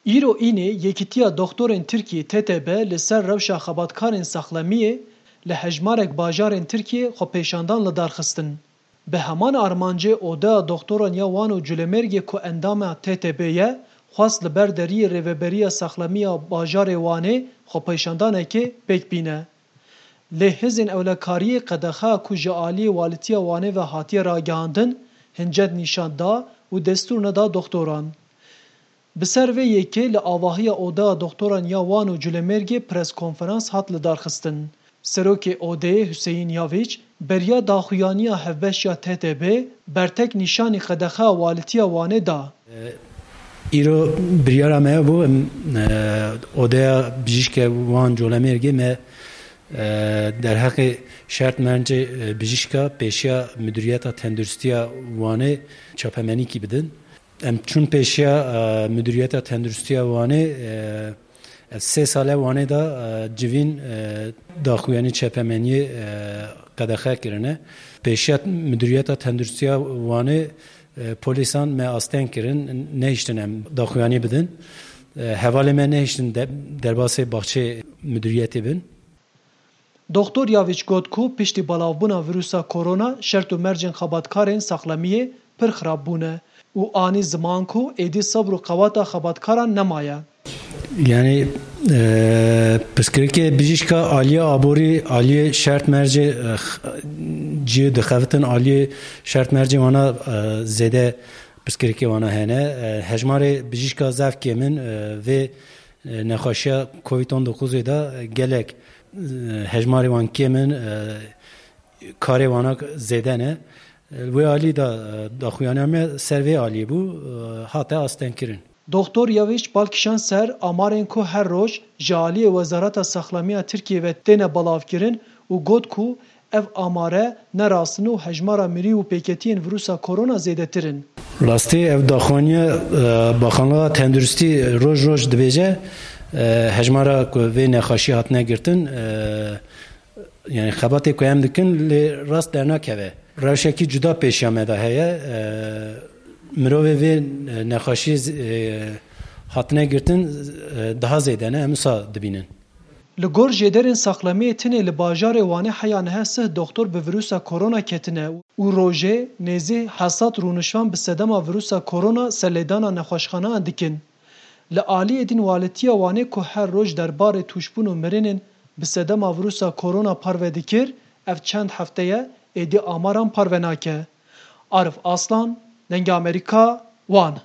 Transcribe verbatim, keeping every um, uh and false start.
Îro înê Yekîtiya Doxtorên Tirkiyê T T B li ser rewşa xebatkarên saxlemiyê li hejmarek bajarên Tirkiyê xwepêşandan li dar xistin. Bi heman armancê Odeya Doxtoran ya Wan û Culemêrgê ku endama T T B ye, xwest li ber deriyê Rêveberiya Saxlemiya Bajarê Wanê xwepêşandanekê pêk bîne. Lê hêzên ewlekariyê qedexeya ku ji aliyê Walîtiya Wanê ve hatiye ragihandin, hincet nîşan da û destûr neda doxtoran. Bi ser vê yekê li avahiya Odeya Doxtoran ya Wan û Culemêrgê preskonferans hat lidarxistin. Serokê Odeyê Huseyîn Yavîç beriya daxuyaniya hevbeş ya T T B bertek nîşanî qedexeya Walîtiya Wanê da. Îro biryara me bû, em, e, Odeya Bijîşke Wan Colemêrgê me, e, derheqê şert mercê, e, bijîşka pêşiya Miduriyeta Tenduristiya Wanê çapemenîkî bidin. Em çûn pêşiya, e, Miduriyeta Tenduristiya Wanê, e, ev sê sale Wanê de, e, civîn, e, daxuyanî çapemeniyê, e, qedexe kirine. Pêşiya Miduriyeta Tenduristiya Wanê, e, polîsan me asteng kirin, nehiştin em daxuyanî bidin. E, hevalê me nehiştin de-, derbasê baxçê miduriyetê bin. Doxtor Yavîç got ku piştî belavbûna vîrusa korona şert û mercên xebatkarên saxlemiyê pir xirab bûne û anî ziman ku êdî sebr û qewata xebatkaran nemaye. Yani, e, pirsgirêkê bijîşka aliyê aborî, aliyê şert mercê, e, x-, cihê dixebitin, aliyê şert mercê wana, e, zêde pirsgirêkê wana hene. E, hejmarê bijîşka zaf kêm in, e, vê, e, nexweşiya covid on dokuzê de gelek, e, hejmarê wan kêm in, e, karê wana zêde ne. Li wê alî de, e, daxuyaniya me ser vê alî bû, e, hate astengkirin. Doxtor Yavîç bal kişand ser amarên ku her roj ji aliyê Wezareta Saxlamiya Tirkiyê ve têne belavkirin û got ku ev amare ne rast in û hejmara mirî û pêketiyên vîrusa korona zêdetir in. Rastî ev daxuyaniya, e, Baxanliga Tenduristî roj roj dibêje, e, hejmara ku vê nexweşî hatine girtin, e, Yani xebatê ku em dikin lê rast dernakeve. Rewşekî cuda pêşiya me de heye. E, mirovê vê, e, nexweşiyê z-, e, hatine girtin, e, daha zêde ne, em wisa dibînin. Li gor jêderên saxlemiyê tenê li bajarê Wanê heya niha sih doxtor bi vîrusa korona ketine û rojê nêzî hesad rûnişvan bi sedema vîrusa korona serlêdana nexweşxaneyan dikin. Li aliyê din Walîtiya Wanê ku her roj derbarê tûşbûn û mirinên bi sedema vîrusa korona parve dikir, ev çend hefte ye êdî amaran parve nake. Arif Aslan, Dengê Amerîka, Wan.